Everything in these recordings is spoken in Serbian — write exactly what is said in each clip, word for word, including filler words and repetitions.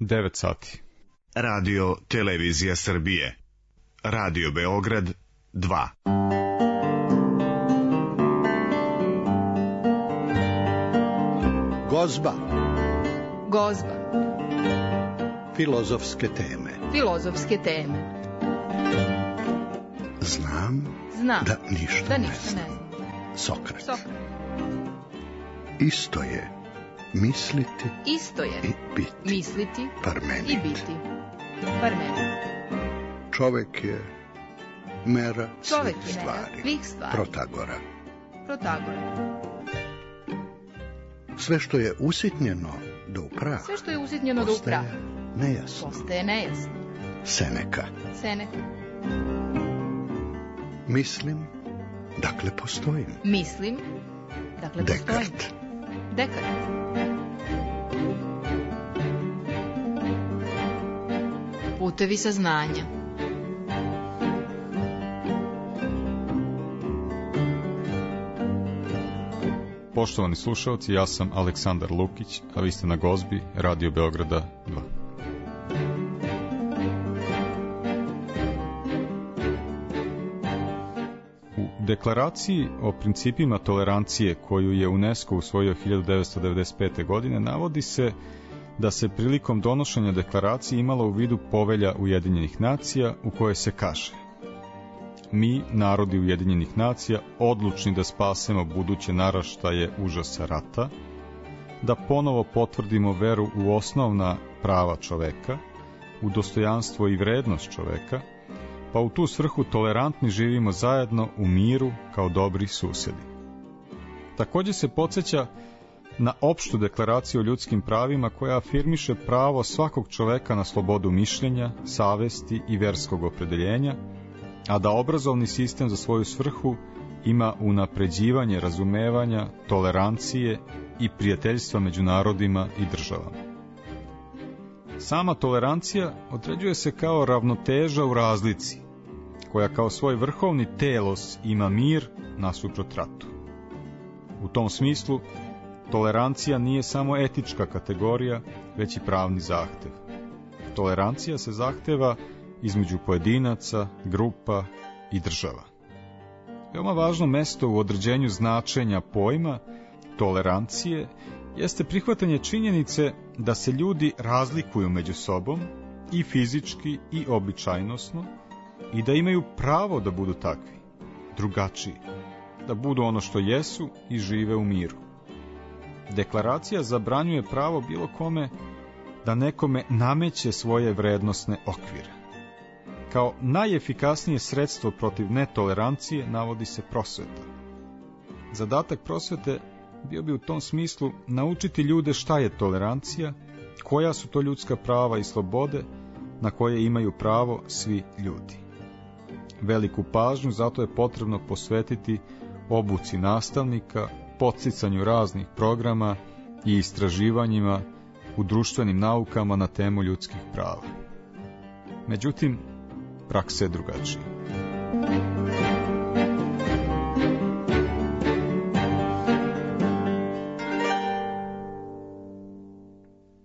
devet sati. Radio Televizija Srbije. Radio Beograd dva. Gozba. Gozba. Filozofske teme. Filozofske teme. Znam, Znam da ništa, da ne, ništa znam. ne znam. Sokrat. Sokrat. Isto je misliti Isto je i biti. misliti Parmenid. i biti. Parmenid. Čovek je mera Čovek svih je mera stvari. svih stvari. Protagora. Protagora. Sve što je usitnjeno do upraha, Sve što je usitnjeno do postaje upraha nejasno. postaje nejasno. Seneka. Seneka. Mislim, dakle postojim. Mislim, dakle postojim. Dekart. Dekart. Putevi saznanja. Poštovani slušalci, ja sam Aleksandar Lukić, a vi ste na Gozbi, Radio Beograda dva. U deklaraciji o principima tolerancije koju je UNESCO usvojio hiljadu devetsto devedeset pete. godine navodi se da se prilikom donošenja deklaracije imalo u vidu Povelja Ujedinjenih nacija u kojoj se kaže: mi, narodi Ujedinjenih nacija, odlučni da spasemo buduće naraštaje užasa rata, da ponovo potvrdimo veru u osnovna prava čoveka, u dostojanstvo i vrednost čoveka, pa u tu svrhu tolerantni živimo zajedno u miru kao dobri susedi. Također se podsjeća na opštu deklaraciju o ljudskim pravima koja afirmiše pravo svakog čoveka na slobodu mišljenja, savesti i verskog opredeljenja, a da obrazovni sistem za svoju svrhu ima unapređivanje razumevanja, tolerancije i prijateljstva među narodima i državama. Sama tolerancija određuje se kao ravnoteža u razlici, koja kao svoj vrhovni telos ima mir nasuprot ratu. U tom smislu, tolerancija nije samo etička kategorija, već i pravni zahtev. Tolerancija se zahteva između pojedinaca, grupa i država. Veoma važno mesto u određenju značenja pojma tolerancije jeste prihvatanje činjenice da se ljudi razlikuju među sobom i fizički i običajnosno i da imaju pravo da budu takvi, drugačiji, da budu ono što jesu i žive u miru. Deklaracija zabranjuje pravo bilo kome da nekome nameće svoje vrednosne okvire. Kao najefikasnije sredstvo protiv netolerancije navodi se prosveta. Zadatak prosvete bio bi u tom smislu naučiti ljude šta je tolerancija, koja su to ljudska prava i slobode na koje imaju pravo svi ljudi. Veliku pažnju zato je potrebno posvetiti obuci nastavnika, podsticanju raznih programa i istraživanjima u društvenim naukama na temu ljudskih prava. Međutim, praksa je drugačija.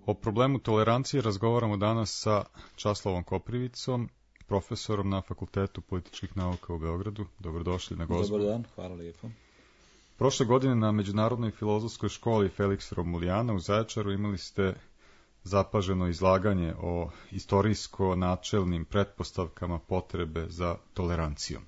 O problemu tolerancije razgovaramo danas sa Časlavom Koprivicom, profesorom na Fakultetu političkih nauka u Beogradu. Dobrodošli na Gozbu. Dobar dan, hvala lijepo. Prošle godine na Međunarodnoj filozofskoj školi Felix Romulijana u Zaječaru imali ste zapaženo izlaganje o istorijsko-načelnim pretpostavkama potrebe za tolerancijom.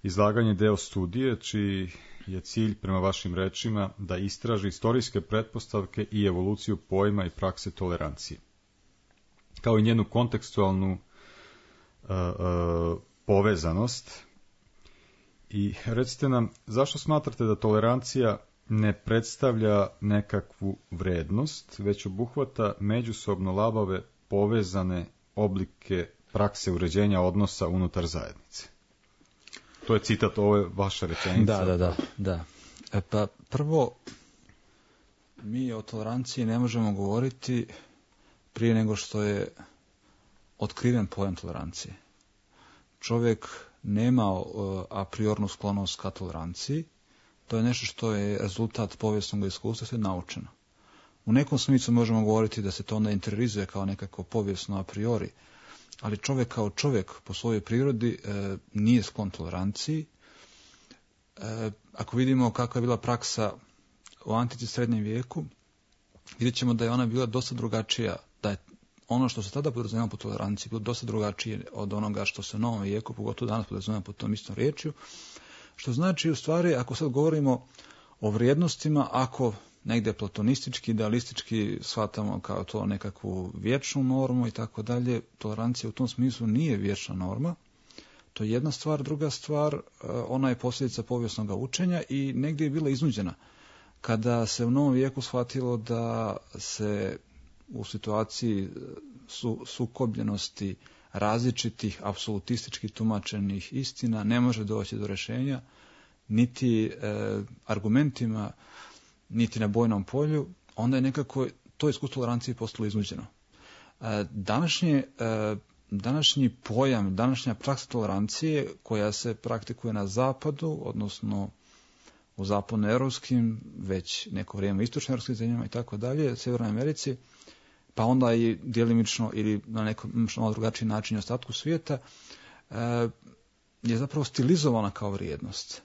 Izlaganje je deo studije čiji je cilj, prema vašim rečima, da istraži istorijske pretpostavke i evoluciju pojma i prakse tolerancije, kao i njenu kontekstualnu uh, uh, povezanost. I recite nam, zašto smatrate da tolerancija ne predstavlja nekakvu vrednost, već obuhvata međusobno labave povezane oblike prakse uređenja odnosa unutar zajednice? To je citat, ovo je vaša rečenica. Da, da, da. da. E pa prvo, mi o toleranciji ne možemo govoriti prije nego što je otkriven pojam tolerancije. Čovjek nema uh, a priornu sklonost ka toleranciji. To je nešto što je rezultat povijesnog iskustva, što je naučeno. U nekom smislu možemo govoriti da se to onda interiorizuje kao nekako povijesno a priori, ali čovjek kao čovjek po svojoj prirodi e, nije sklon toleranciji. E, ako vidimo kakva je bila praksa u antici srednjem vijeku, vidjet ćemo da je ona bila dosta drugačija, da je ono što se tada podrazumijeva po toleranciji bilo dosta drugačije od onoga što se u novom vijeku, pogotovo danas podrazumijeva po tom istom riječju, što znači u stvari, ako sad govorimo o vrijednostima, ako negdje platonistički, idealistički shvatamo kao to nekakvu vječnu normu i tako dalje, tolerancija u tom smislu nije vječna norma. To je jedna stvar. Druga stvar, ona je posljedica povijesnog učenja i negdje je bila iznuđena. Kada se u novom vijeku shvatilo da se u situaciji su, sukobljenosti različitih apsolutistički tumačenih istina ne može doći do rješenja, niti e, argumentima, niti na bojnom polju, onda je nekako to iskustvo tolerancije postalo iznuđeno. E, današnje, e, današnji pojam, današnja praksa tolerancije koja se praktikuje na zapadu, odnosno u zapadnoeuropskim, već neko vrijeme istočnoeuropskim zemljama i tako dalje, Sjevernoj Americi, pa onda i djelimično ili na nekom malo drugačiji način ostatku svijeta, e, je zapravo stilizovana kao vrijednost.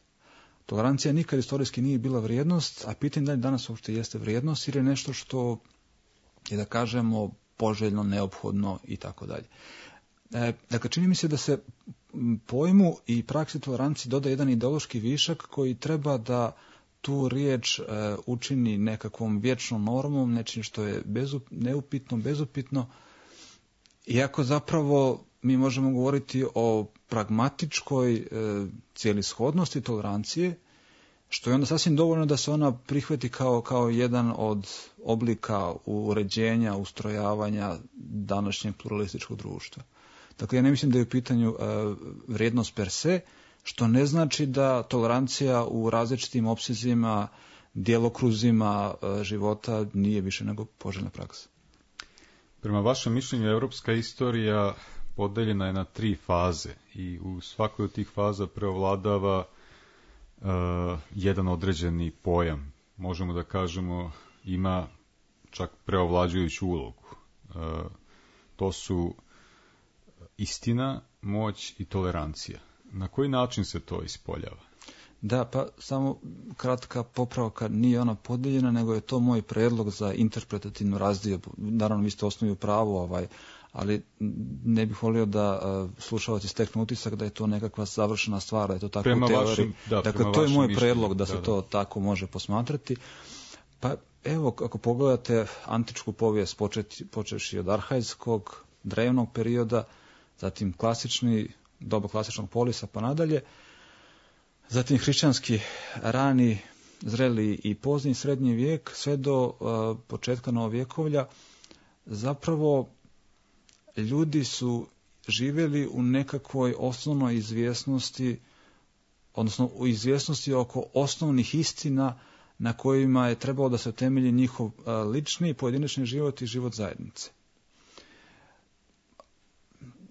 Tolerancija nikad istorijski nije bila vrijednost, a pitanje da li danas uopšte jeste vrijednost ili je nešto što je, da kažemo, poželjno, neophodno i tako dalje. Dakle, čini mi se da se pojmu i praksi tolerancije doda jedan ideološki višak koji treba da tu riječ e, učini nekakvom vječnom normom, nečim što je bezup, neupitno, bezupitno, iako zapravo mi možemo govoriti o pragmatičkoj e, cijelishodnosti tolerancije, što je onda sasvim dovoljno da se ona prihvati kao, kao jedan od oblika uređenja, ustrojavanja današnjeg pluralističkog društva. Dakle, ja ne mislim da je u pitanju e, vrijednost per se, što ne znači da tolerancija u različitim opsezima, djelokruzima e, života nije više nego poželjna praksa. Prema vašem mišljenju, europska istorija podeljena je na tri faze i u svakoj od tih faza preovladava uh, jedan određeni pojam. Možemo da kažemo ima čak preovlađujuću ulogu. Uh, to su istina, moć i tolerancija. Na koji način se to ispoljava? Da, pa samo kratka popravka, nije ona podeljena, nego je to moj predlog za interpretativnu razdiobu. Naravno, vi ste osnovi u pravu, ovaj, ali ne bih volio da uh, slušalci steknu utisak da je to nekakva završena stvar, da je to tako prema u teoriji. Vašim, da, dakle, to je moj mišljenju. Predlog da, da se da. to tako može posmatrati. Pa evo, ako pogledate antičku povijest, počevši od arhajskog, drevnog perioda, zatim klasični, doba klasičnog polisa pa nadalje, zatim hrišćanski rani, zreli i pozni srednji vijek, sve do uh, početka novovjekovlja, zapravo ljudi su živjeli u nekakvoj osnovnoj izvjesnosti, odnosno u izvjesnosti oko osnovnih istina na kojima je trebalo da se temelji njihov uh, lični, pojedinačni život i život zajednice.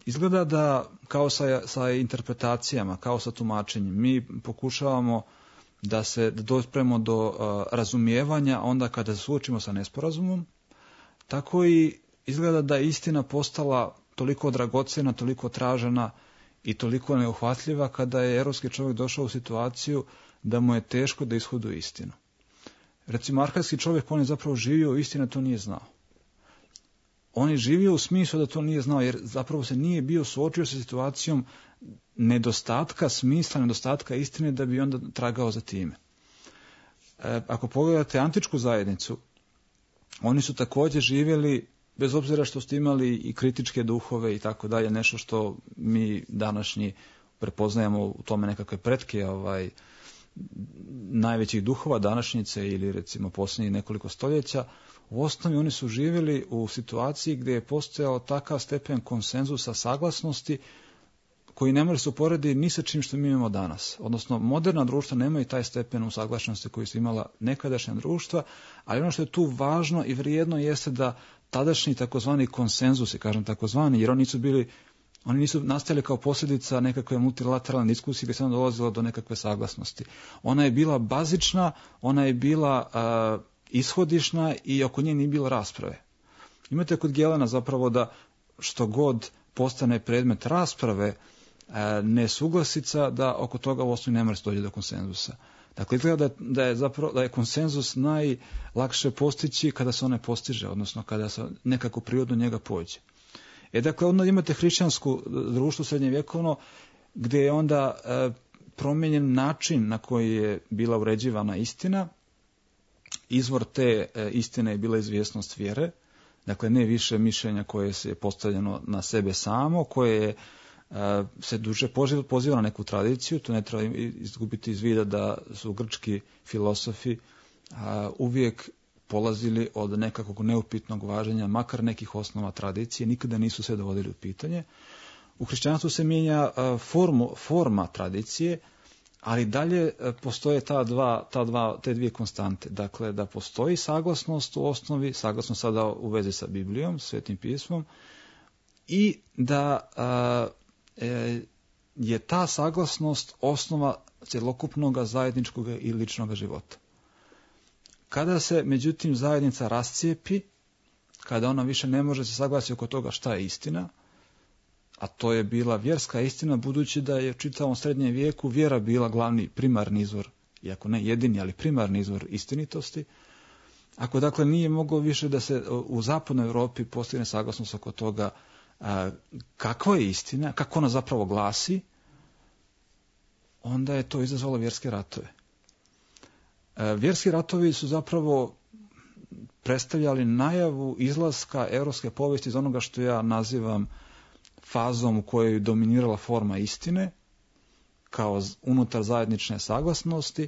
Izgleda da kao sa, sa interpretacijama, kao sa tumačenjem, mi pokušavamo da se da dopremo do uh, razumijevanja onda kada se suočimo sa nesporazumom, tako i izgleda da je istina postala toliko dragocjena, toliko tražena i toliko neuhvatljiva kada je europski čovjek došao u situaciju da mu je teško da ishoduje istinu. Recimo, arhajski čovjek, on je zapravo živio, istina to nije znao. On je živio u smislu da to nije znao, jer zapravo se nije bio suočio sa situacijom nedostatka smisla, nedostatka istine da bi onda tragao za time. E, ako pogledate antičku zajednicu, oni su također živjeli, bez obzira što ste imali i kritičke duhove i tako dalje, nešto što mi današnji prepoznajemo u tome nekakve pretke ovaj, najvećih duhova današnjice ili recimo posljednjih nekoliko stoljeća. U osnovi oni su živjeli u situaciji gdje je postojao takav stepen konsenzusa, saglasnosti, koji ne može se uporediti ni sa čim što mi imamo danas. Odnosno, moderna društva nemaju taj stepen usaglašenosti koji su imala nekadašnja društva, ali ono što je tu važno i vrijedno jeste da tadašnji takozvani konsenzusi, kažem takozvani, jer oni nisu bili, oni nisu nastali kao posljedica nekakve multilateralne diskusije gdje se onda dolazilo do nekakve saglasnosti. Ona je bila bazična, ona je bila uh, ishodišna i oko nje nije bilo rasprave. Imate kod Gelena zapravo da što god postane predmet rasprave, nesuglasica, da oko toga u osnovi ne može doći do konsenzusa. Dakle, izgleda da, da, je zapravo, da je konsenzus najlakše postići kada se on ne postiže, odnosno kada se nekako prirodno njega pođe. E, dakle, onda imate hrišćansko društvo srednjevjekovno, gdje je onda e, promijenjen način na koji je bila uređivana istina. Izvor te e, istine je bila izvjesnost vjere, dakle, ne više mišljenja koje se je postavljeno na sebe samo, koje je se duže poziva na neku tradiciju. Tu ne treba izgubiti iz vida da su grčki filosofi uvijek polazili od nekakvog neupitnog važenja, makar nekih osnova tradicije, nikada nisu sve dovodili u pitanje. U hrišćanstvu se mijenja formu, forma tradicije, ali dalje postoje ta dva, ta dva, te dvije konstante. Dakle, da postoji saglasnost u osnovi, saglasnost sada u vezi sa Biblijom, Svetim pismom, i da a, e, je ta saglasnost osnova cjelokupnog zajedničkog i ličnog života. Kada se, međutim, zajednica rascijepi, kada ona više ne može se saglasiti oko toga šta je istina, a to je bila vjerska istina, budući da je u čitavom srednjem vijeku vjera bila glavni primarni izvor, iako ne jedini, ali primarni izvor istinitosti. Ako dakle nije moglo više da se u zapadnoj Europi postigne saglasnost oko toga a, kakva je istina, kako ona zapravo glasi, onda je to izazvalo vjerske ratove. A, vjerski ratovi su zapravo predstavljali najavu izlaska europske povijesti iz onoga što ja nazivam fazom u kojoj je dominirala forma istine, kao unutar zajednične saglasnosti,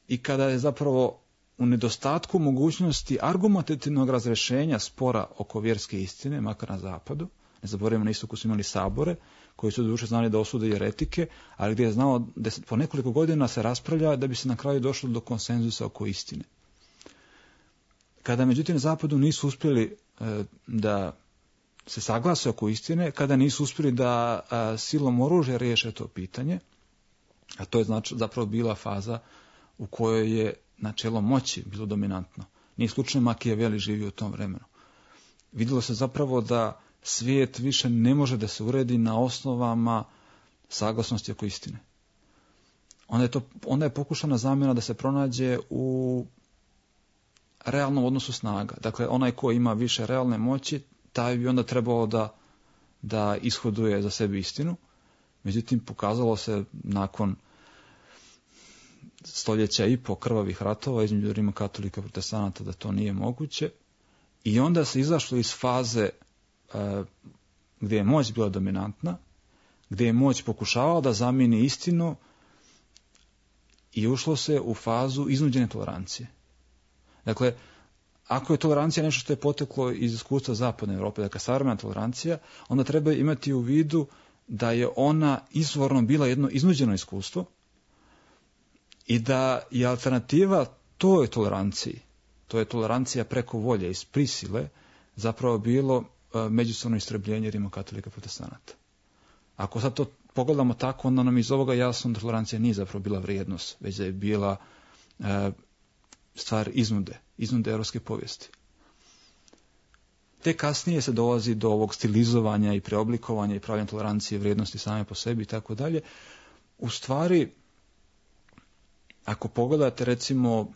i kada je zapravo u nedostatku mogućnosti argumentativnog razrješenja spora oko vjerske istine, makar na zapadu, ne zaboravimo, na istoku su imali sabore, koji su doduše znali da osude jeretike, ali gdje je znao da po nekoliko godina se raspravlja da bi se na kraju došlo do konsenzusa oko istine. Kada međutim na zapadu nisu uspjeli e, da se saglase oko istine, kada nisu uspjeli da a, silom oružja riješe to pitanje, a to je znači zapravo bila faza u kojoj je načelo moći bilo dominantno. Nije slučajno Makijaveli živio u tom vremenu. Vidjelo se zapravo da svijet više ne može da se uredi na osnovama saglasnosti oko istine. Onda je, to, onda je pokušana zamjena da se pronađe u realnom odnosu snaga. Dakle, onaj ko ima više realne moći, taj bi onda trebalo da, da ishoduje za sebe istinu. Međutim, pokazalo se nakon stoljeća i po krvavih ratova između rimokatolika i protestanata da to nije moguće. I onda se izašlo iz faze e, gdje je moć bila dominantna, gdje je moć pokušavala da zamijeni istinu, i ušlo se u fazu iznuđene tolerancije. Dakle, ako je tolerancija nešto što je poteklo iz iskustva zapadne Europe, dakle savremena tolerancija, onda treba imati u vidu da je ona izvorno bila jedno iznuđeno iskustvo i da je alternativa toj toleranciji, to je tolerancija preko volje, iz prisile, zapravo bilo međusobno istrebljenje rimokatolika i protestanata. Ako sad to pogledamo tako, onda nam iz ovoga jasno da tolerancija nije zapravo bila vrijednost, već da je bila e, stvar iznude, iznude europske povijesti. Te kasnije se dolazi do ovog stilizovanja i preoblikovanja i pravljanja tolerancije vrijednosti same po sebi i tako dalje. U stvari, ako pogledate recimo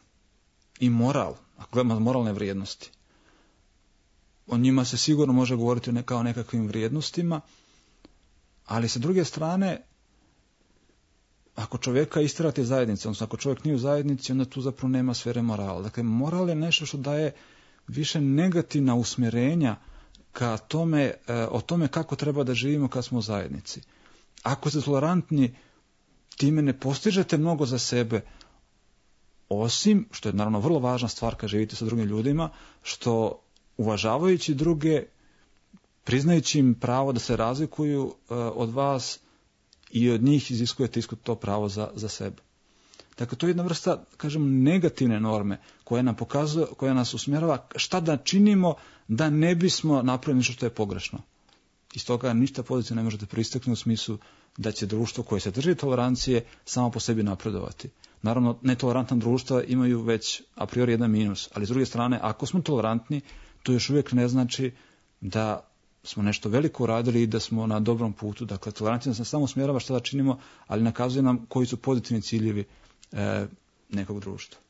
i moral, ako gledamo moralne vrijednosti, o njima se sigurno može govoriti kao o nekakvim vrijednostima, ali sa druge strane, ako čovjeka istjerate iz zajednice, odnosno ako čovjek nije u zajednici, onda tu zapravo nema sfere morala. Dakle, moral je nešto što daje više negativna usmjerenja ka tome, o tome kako treba da živimo kad smo u zajednici. Ako ste tolerantni, time ne postižete mnogo za sebe, osim, što je naravno vrlo važna stvar kad živite sa drugim ljudima, što uvažavajući druge, priznajući im pravo da se razlikuju uh, od vas, i od njih iziskujete isko to pravo za, za sebe. Dakle, to je jedna vrsta, kažem, negativne norme koja nam pokazuje, koja nas usmjerava šta da činimo da ne bismo napravili nešto što je pogrešno. Iz toga ništa pozitivno ne možete pristaknuti u smislu da će društvo koje se drži tolerancije samo po sebi napredovati. Naravno, netolerantna društva imaju već a priori jedan minus, ali s druge strane, ako smo tolerantni, to još uvijek ne znači da smo nešto veliko uradili i da smo na dobrom putu. Dakle, tolerancija nas samo smjerava šta da činimo, ali nakazuje nam koji su pozitivni ciljevi e, nekog društva.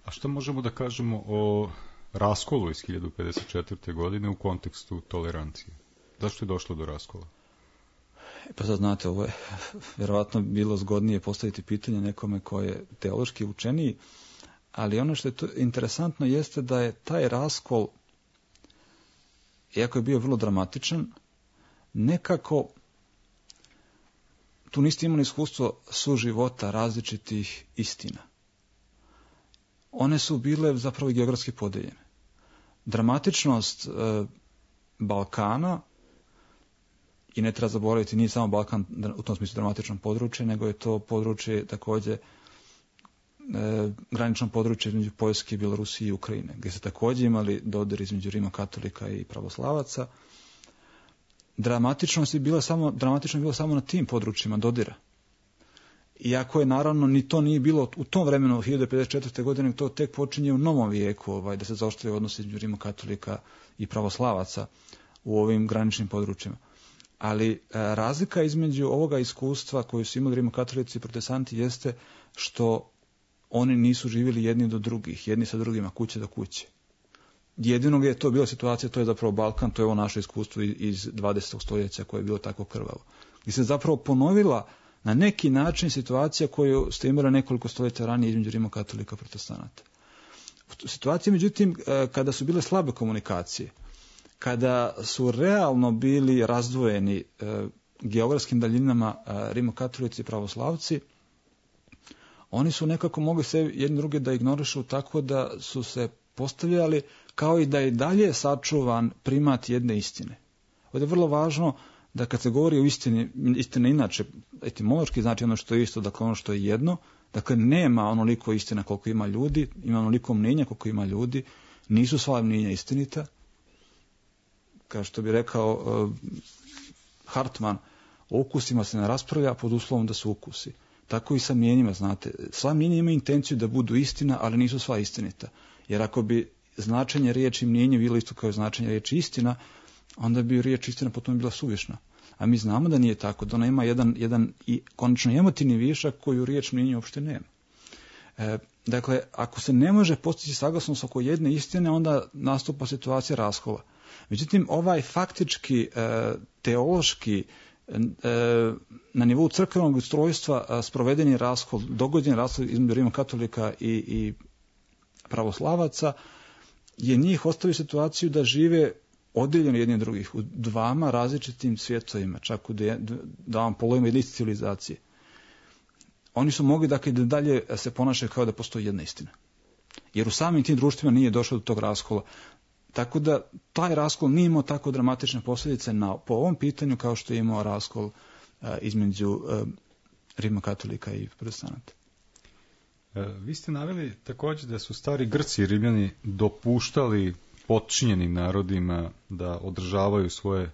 A što možemo da kažemo o raskolu iz hiljadu pedeset četvrte. godine u kontekstu tolerancije? Zašto je došlo do raskola? E pa sad znate, ovo je vjerovatno bilo zgodnije postaviti pitanje nekome ko je teološki učeniji, ali ono što je to interesantno jeste da je taj raskol, iako je bio vrlo dramatičan, nekako tu niste imali iskustvo suživota različitih istina. One su bile zapravo geografski podeljene. Dramatičnost e, Balkana, i ne treba zaboraviti, nije samo Balkan u tom smislu dramatično područje, nego je to područje također e, granično područje između Poljske, Bjelorusije i Ukrajine, gdje se također imali dodir između rimokatolika i pravoslavaca. Dramatičnost je bila samo, dramatično je bilo samo na tim područjima dodira. Iako je naravno ni to nije bilo u tom vremenu hiljadu pedeset četvrte. godine, to tek počinje u novom vijeku, ovaj, da se zaoštruje odnos između rimokatolika i pravoslavaca u ovim graničnim područjima. Ali e, razlika između ovoga iskustva koju su imali rimokatolici i protestanti jeste što oni nisu živjeli jedni do drugih, jedni sa drugima, kuće do kuće. Jedino gdje je to bila situacija, to je zapravo Balkan, to je ovo naše iskustvo iz dvadesetog stoljeća koje je bilo tako krvavo. Gdje se zapravo ponovila na neki način situacija koju ste imali nekoliko stoljeća ranije između rimokatolika i protestanata. Situacija, međutim, kada su bile slabe komunikacije, kada su realno bili razdvojeni e, geografskim daljinama e, rimokatolici i pravoslavci, oni su nekako mogli se jedni druge da ignorišu tako da su se postavljali kao i da je dalje sačuvan primat jedne istine. Ovdje je vrlo važno da kad se govori o istini, istine inače, etimološki znači ono što je isto, dakle ono što je jedno, dakle nema onoliko istina koliko ima ljudi, ima onoliko mnenja koliko ima ljudi, nisu sva mnenja istinita. Kao što bi rekao uh, Hartman, o ukusima se ne raspravlja pod uslovom da su ukusi. Tako i sa mnjenjima, znate. Sva mnjenja imaju intenciju da budu istina, ali nisu sva istinita. Jer ako bi značenje riječi mnjenje bilo isto kao značenje riječi istina, onda bi riječ istina potom bila suvišna. A mi znamo da nije tako, da ona ima jedan, jedan i konačno emotivni višak koju riječ mnjenje uopšte nema. E, dakle, ako se ne može postići saglasnost oko jedne istine, onda nastupa situacija raskola. Međutim, ovaj faktički, e, teološki, e, na nivou crkvenog ustrojstva sprovedeni raskol, dogođeni raskol između rimokatolika i, i pravoslavaca, je njih ostavio situaciju da žive oddeljeni jedni od drugih u dvama različitim svjetovima, čak u dvama polovima jedne civilizacije. Oni su mogli dakle da dalje se ponašaju kao da postoji jedna istina. Jer u samim tim društvima nije došlo do tog raskola. Tako da taj raskol nije imao tako dramatične posljedice na, po ovom pitanju kao što je imao raskol a, između a, rimokatolika i protestanata. E, vi ste naveli također da su stari Grci i Rimljani dopuštali potčinjenim narodima da održavaju svoje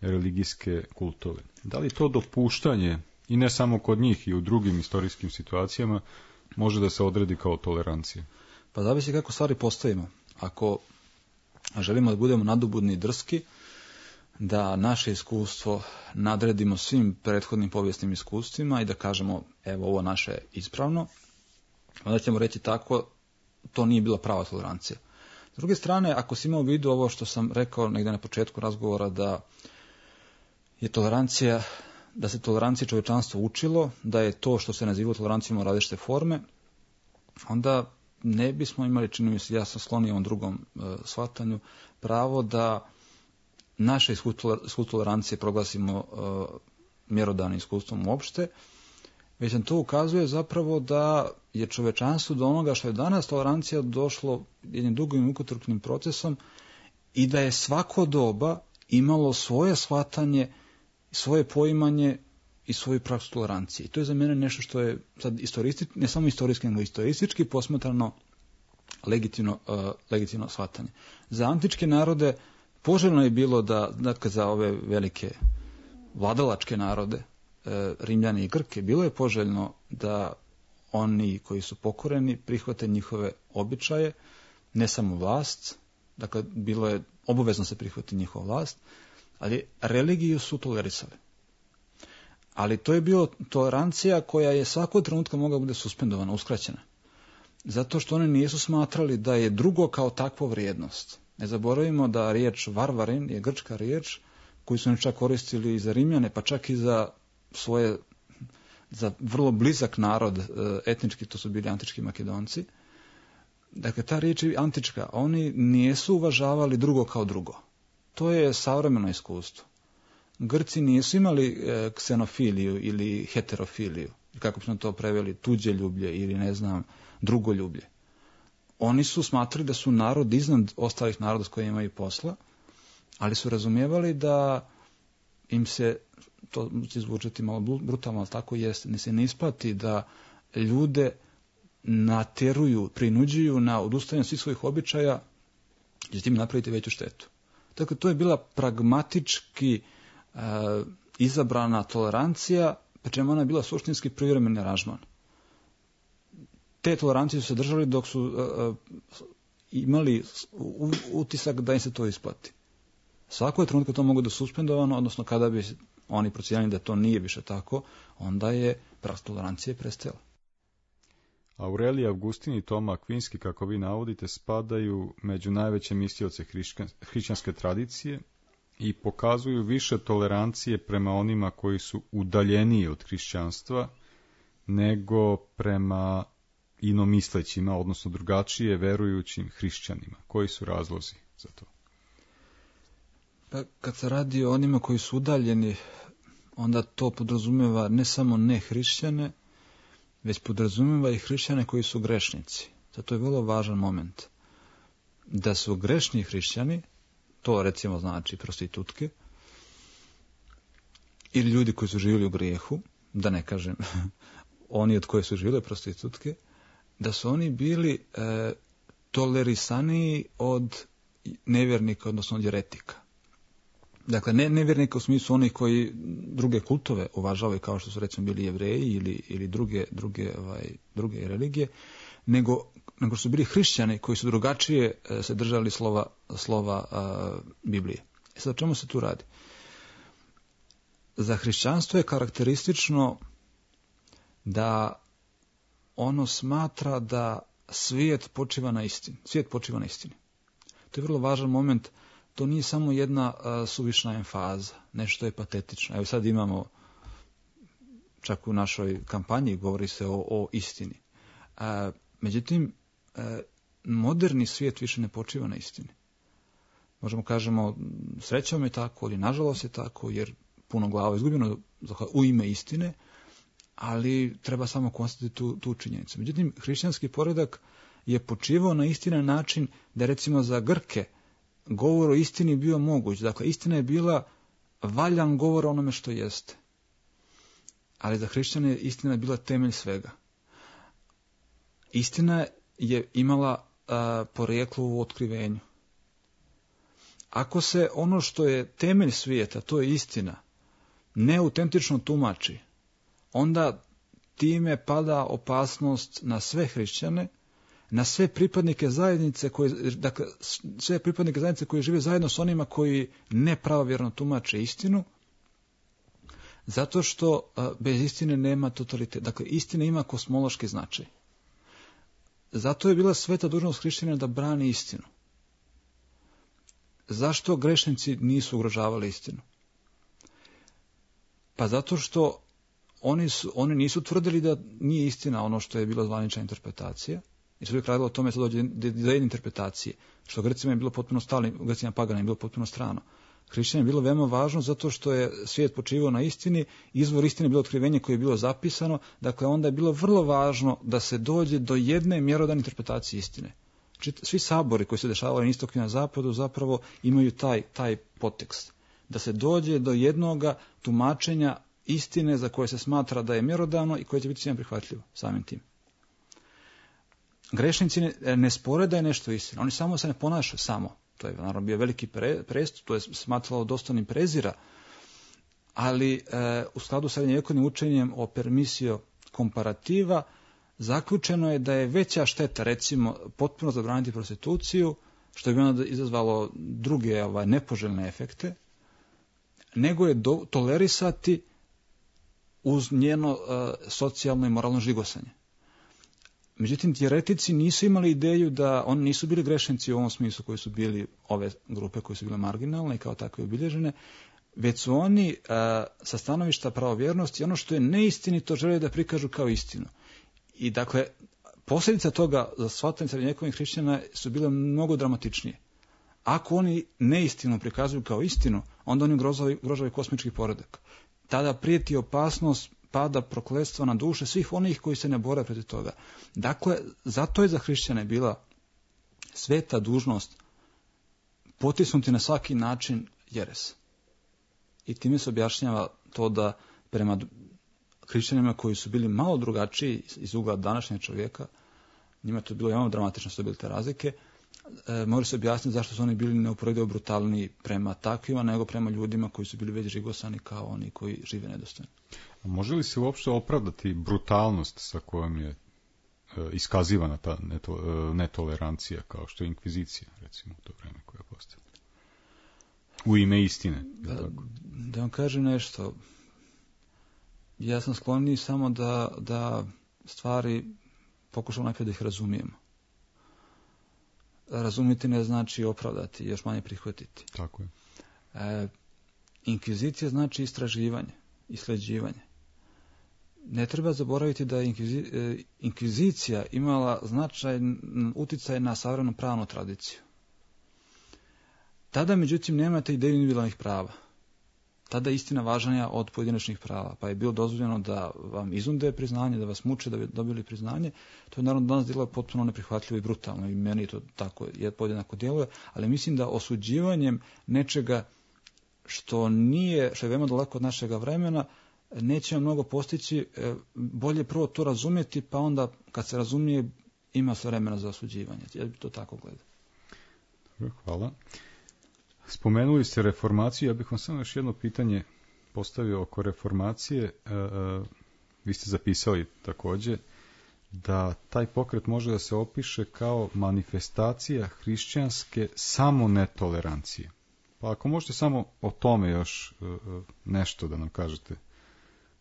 religijske kultove. Da li to dopuštanje, i ne samo kod njih i u drugim istorijskim situacijama, može da se odredi kao tolerancija? Pa zavisi kako stvari postavimo. Ako želimo da budemo nadobudni i drski, da naše iskustvo nadredimo svim prethodnim povijesnim iskustvima i da kažemo evo ovo naše je ispravno, onda ćemo reći tako, to nije bila prava tolerancija. S druge strane, ako si imao u vidu ovo što sam rekao negdje na početku razgovora, da je tolerancija, da se tolerancija čovječanstvo učilo, da je to što se nazivalo tolerancijom u različite forme, onda ne bismo imali, čini mi se, ja sam sklonio ovom drugom e, shvatanju, pravo da naše iskustvo tolerancije proglasimo e, mjerodavnim iskustvom uopšte, već nam to ukazuje zapravo da je čovečanstvo do onoga što je danas tolerancija došlo jednim dugim mukotrpnim procesom i da je svako doba imalo svoje shvatanje, svoje poimanje i svoju praksu tolerancije. I to je za mene nešto što je sad istoristički, ne samo istorijski, nego istoristički posmatrano legitimno, uh, legitimno shvatanje. Za antičke narode poželjno je bilo da, dakle, za ove velike vladalačke narode, uh, Rimljani i Grke, bilo je poželjno da oni koji su pokoreni prihvate njihove običaje, ne samo vlast, dakle bilo je obavezno se prihvati njihova vlast, ali religiju su tolerisali. Ali to je bio tolerancija koja je svakog trenutka mogla bude suspendovana, uskraćena. Zato što oni nisu smatrali da je drugo kao takvo vrijednost. Ne zaboravimo da riječ varvarin je grčka riječ koju su oni čak koristili i za Rimljane, pa čak i za svoje, za vrlo blizak narod etnički, to su bili antički Makedonci. Dakle, ta riječ je antička. Oni nisu uvažavali drugo kao drugo. To je savremeno iskustvo. Grci nisu imali ksenofiliju ili heterofiliju, kako bismo to preveli, tuđe ljublje ili ne znam, drugo ljublje. Oni su smatrali da su narod iznad ostalih naroda s kojima imaju posla, ali su razumijevali da im se, to će zvučati malo brutalno, ali tako jest, ne se ne isplati da ljude natjeruju, prinuđuju na odustajanje svih svojih običaja, jer će tim napraviti veću štetu. Dakle, to je bila pragmatički e, izabrana tolerancija, pa čemu ona je bila suštinski privremeni aranžman. Te tolerancije su se držali dok su uh, imali utisak da im se to isplati. Svako je trenutka to mogu da suspendovano, odnosno kada bi oni procijenili da to nije više tako, onda je praksa tolerancije prestajala. Aurelije, Augustin i Toma Akvinski, kako vi navodite, spadaju među najveće mislioce hrišćanske tradicije i pokazuju više tolerancije prema onima koji su udaljeniji od hrišćanstva nego prema inomislećima, odnosno drugačije verujućim hrišćanima. Koji su razlozi za to? Pa kad se radi o onima koji su udaljeni, onda to podrazumijeva ne samo ne hrišćane, već podrazumijeva i hrišćane koji su grešnici. Zato je vrlo važan moment. Da su grešni hrišćani, to recimo znači prostitutke, ili ljudi koji su živjeli u grijehu, da ne kažem oni od koje su živjeli prostitutke, da su oni bili e, tolerisaniji od nevjernika, odnosno od jeretika. Dakle, ne nevjernika u smislu onih koji druge kultove uvažavaju, kao što su recimo bili Jevreji ili, ili druge, druge, ovaj, druge religije, nego, nego su bili hrišćani koji su drugačije e, se držali slova, slova a, Biblije. E sad, o čemu se tu radi? Za hrišćanstvo je karakteristično da ono smatra da svijet počiva na istini. Svijet počiva na istini. To je vrlo važan moment. To nije samo jedna uh, suvišna emfaza, nešto je patetično. Evo sad imamo, čak u našoj kampanji govori se o, o istini. Uh, međutim, uh, moderni svijet više ne počiva na istini. Možemo kažemo, srećom je tako, ali nažalost je tako, jer puno glava izgubljeno u ime istine, ali treba samo konstatovati tu, tu činjenicu. Međutim, hrišćanski poredak je počivao na istina način da recimo za Grke govor o istini bio moguć. Dakle, istina je bila valjan govor o onome što jeste. Ali za hrišćane istina je bila temelj svega. Istina je imala a, porijeklo u otkrivenju. Ako se ono što je temelj svijeta, to je istina, neautentično tumači, onda time pada opasnost na sve hrišćane, na sve pripadnike zajednice koje, dakle, sve pripadnike zajednice koji žive zajedno s onima koji nepravovjerno tumače istinu, zato što a, bez istine nema totalitet. Dakle, istina ima kosmološki značaj. Zato je bila sveta dužnost hrišćanina da brani istinu. Zašto grešnici nisu ugrožavali istinu? Pa zato što oni, su, oni nisu tvrdili da nije istina ono što je bila zvanična interpretacija, i su uvijek radilo o tome da dođe do jedne interpretacije, što Grecima je bilo potpuno stalno, Grecima pagana je bilo potpuno strano. Hrišćanima je bilo veoma važno zato što je svijet počivao na istini, izvor istine je bilo otkrivenje koje je bilo zapisano, dakle onda je bilo vrlo važno da se dođe do jedne mjerodavne interpretacije istine. Svi sabori koji se dešavaju na istoku i na zapadu zapravo imaju taj, taj podtekst. Da se dođe do jednoga tumačenja istine za koje se smatra da je mjerodavno i koje će biti svima prihvatljivo samim tim. Grešnici ne, ne spore da je nešto istina. Oni samo se ne ponašaju samo. To je naravno bio veliki pre, prestup, to je smatralo dostojnim prezira, ali e, u skladu sa srednjevjekovnim učenjem o permisio komparativa zaključeno je da je veća šteta, recimo, potpuno zabraniti prostituciju, što bi onda izazvalo druge ovaj, nepoželjne efekte, nego je do, tolerisati uz njeno uh, socijalno i moralno žigosanje. Međutim, teoretici nisu imali ideju da oni nisu bili grešnici u ovom smislu koji su bili ove grupe koje su bile marginalne i kao takve obilježene, već su oni uh, sa stanovišta pravovjernosti ono što je neistinito žele da prikažu kao istinu. I dakle, posljedica toga za shvatanje srednjovjekovnih hrišćana su bile mnogo dramatičnije. Ako oni neistinu prikazuju kao istinu, onda oni ugrožavaju kosmički poredak. Tada prijeti opasnost pada prokletstva na duše svih onih koji se ne bore protiv toga. Dakle, zato je za hrišćane bila sveta dužnost potisnuti na svaki način jeres. I time se objašnjava to da prema hrišćanima koji su bili malo drugačiji iz ugla današnjeg čovjeka, njima je to bilo jako dramatično što su bile te razlike, e, može se objasniti zašto su oni bili neuporedivo brutalniji prema takvima nego prema ljudima koji su bili već žigosani kao oni koji žive nedostojno. A može li se uopšte opravdati brutalnost sa kojom je e, iskazivana ta neto, e, netolerancija kao što je inkvizicija, recimo u to vreme koja je postavila? U ime istine. Da, da vam kažem nešto, ja sam sklonniji samo da, da stvari pokušam najprije da ih razumijemo. Razumjeti ne znači opravdati, još manje prihvatiti. Tako je. E, inkvizicija znači istraživanje, isleđivanje. Ne treba zaboraviti da je inkvizi, e, inkvizicija imala značajan utjecaj na savremenu pravnu tradiciju. Tada, međutim, nemate ideju individualnih prava. Tada je istina važnija od pojedinačnih prava, pa je bilo dozvoljeno da vam izunde priznanje, da vas muče da bi dobili priznanje. To je naravno danas djeluje potpuno neprihvatljivo i brutalno i meni to tako je podjednako djeluje, ali mislim da osuđivanjem nečega što nije, što je veoma daleko od našega vremena, nećemo mnogo postići, bolje prvo to razumjeti, pa onda kad se razumije ima se vremena za osuđivanje. Ja bih to tako gledao. Hvala. Spomenuli ste reformaciju, ja bih vam samo još jedno pitanje postavio oko reformacije. E, e, vi ste zapisali također da taj pokret može da se opiše kao manifestacija hrišćanske samonetolerancije. Pa ako možete samo o tome još e, nešto da nam kažete,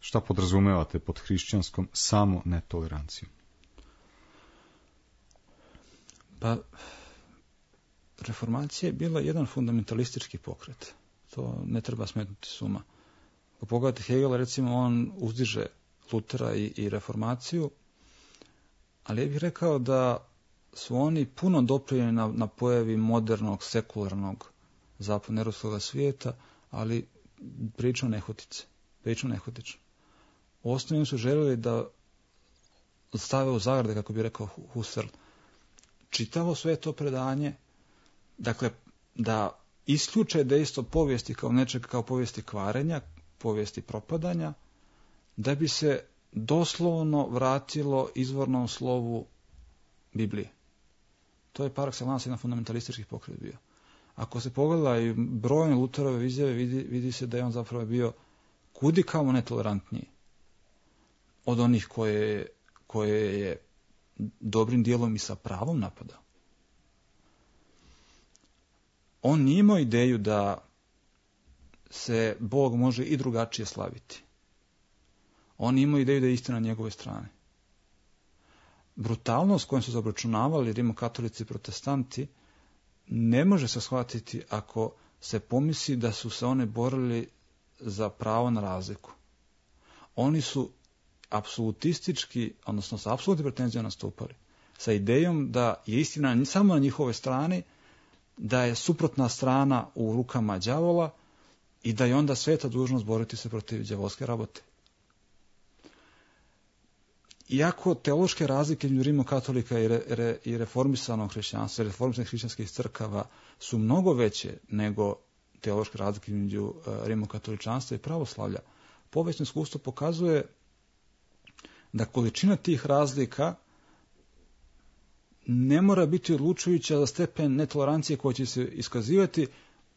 šta podrazumevate pod hrišćanskom samonetolerancijom? Pa, reformacija je bila jedan fundamentalistički pokret. To ne treba smetnuti s uma. Ako pogledate Hegela, recimo, on uzdiže Lutera i, i reformaciju, ali ja bih rekao da su oni puno doprinijeli na, na pojavi modernog, sekularnog zapadnoeuropskog svijeta, ali prilično nehotice. Prilično nehotično. Osnovno su željeli da stave u zagrade, kako bi rekao Husserl, čitavo sve to predanje, dakle, da isključe dejstvo povijesti kao nečega, kao povijesti kvarenja, povijesti propadanja, da bi se doslovno vratilo izvornom slovu Biblije. To je par excellence jedan fundamentalistički pokret bio. Ako se pogleda i brojne Luterove izjave, vidi, vidi se da je on zapravo bio kudikamo netolerantniji od onih koje, koje je dobrim dijelom i sa pravom napadao. On nije imao ideju da se Bog može i drugačije slaviti. On nije imao ideju da je istina na njegove strane. Brutalnost kojom su zabračunavali rimokatolici i protestanti ne može se shvatiti ako se pomisli da su se one borili za pravo na razliku. Oni su apsolutistički, odnosno sa apsolutnim pretenzijom nastupali, sa idejom da je istina samo na njihovoj strani, da je suprotna strana u rukama đavola i da je onda sveta dužnost boriti se protiv đavolske rabote. Iako teološke razlike između rimokatolika i, re, re, i reformisanog hrišćanstva, reformisanih hrišćanskih crkava su mnogo veće nego teološke razlike između uh, rimokatoličanstva i pravoslavlja, povijesno iskustvo pokazuje da količina tih razlika ne mora biti odlučujuća za stepen netolerancije koja će se iskazivati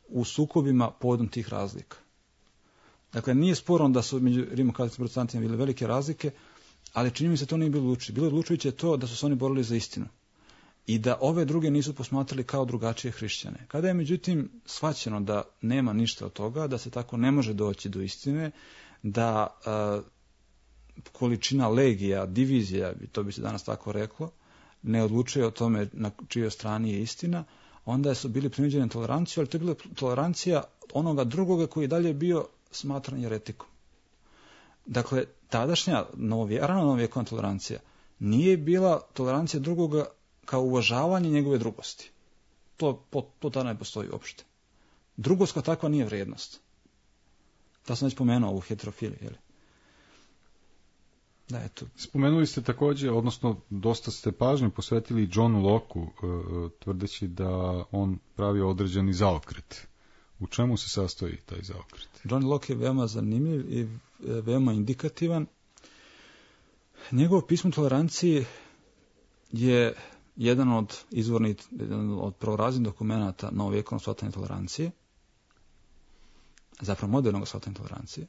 u sukobima povodom tih razlika. Dakle, nije sporno da su među rimokatolicima i protestantima bile velike razlike, ali čini mi se to nije bilo odlučujuće. Bilo je odlučujuće to da su se oni borili za istinu i da ove druge nisu posmatrali kao drugačije hrišćane. Kada je međutim shvaćeno da nema ništa od toga, da se tako ne može doći do istine, da a, količina legija, divizija, to bi se danas tako reklo, ne odlučuje o tome na čijoj strani je istina, onda su bili prinuđeni toleranciju, ali to je bila tolerancija onoga drugoga koji je dalje bio smatran jeretikom. Dakle, tadašnja novije, rano novovjekovna tolerancija nije bila tolerancija drugoga kao uvažavanje njegove drugosti. To, to tada ne postoji uopšte. Drugost kao takva nije vrijednost. Da sam već pomenuo ovu heterofiliju, je li? Da, eto. Spomenuli ste također, odnosno dosta ste pažnje posvetili Johnu Locke-u, tvrdeći da on pravi određeni zaokret. U čemu se sastoji taj zaokret? John Locke je veoma zanimljiv i veoma indikativan. Njegovo pismo tolerancije je jedan od izvornih, jedan od prvoraznih dokumenata novovjekovnog shvatanja tolerancije, zapravo modernog shvatanja tolerancije.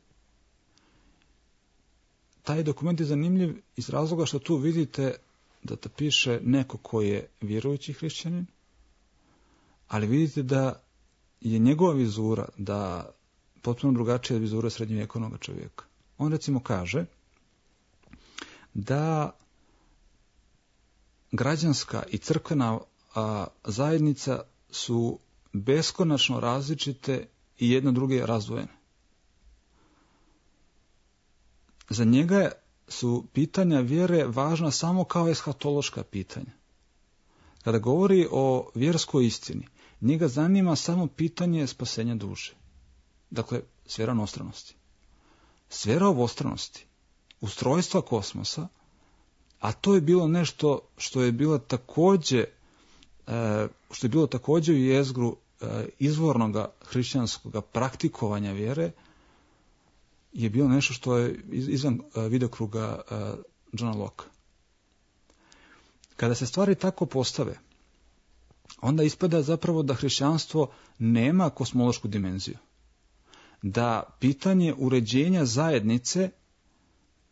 Taj dokument je zanimljiv iz razloga što tu vidite da te piše neko ko je vjerujući hrišćanin, ali vidite da je njegova vizura, da potpuno drugačija vizura srednjovjekovnog čovjeka. On recimo kaže da građanska i crkvena a, zajednica su beskonačno različite i jedno druge razdvojene. Za njega su pitanja vjere važna samo kao eshatološka pitanja. Kada govori o vjerskoj istini, njega zanima samo pitanje spasenja duše. Dakle, sfera onostranosti. Sfera obostranosti, ustrojstva kosmosa, a to je bilo nešto što je bilo također, što je bilo također u jezgru izvornog hrišćanskog praktikovanja vjere, je bilo nešto što je izvan vidokruga Johna Locke. Kada se stvari tako postave, onda ispada zapravo da hrišćanstvo nema kosmološku dimenziju. Da pitanje uređenja zajednice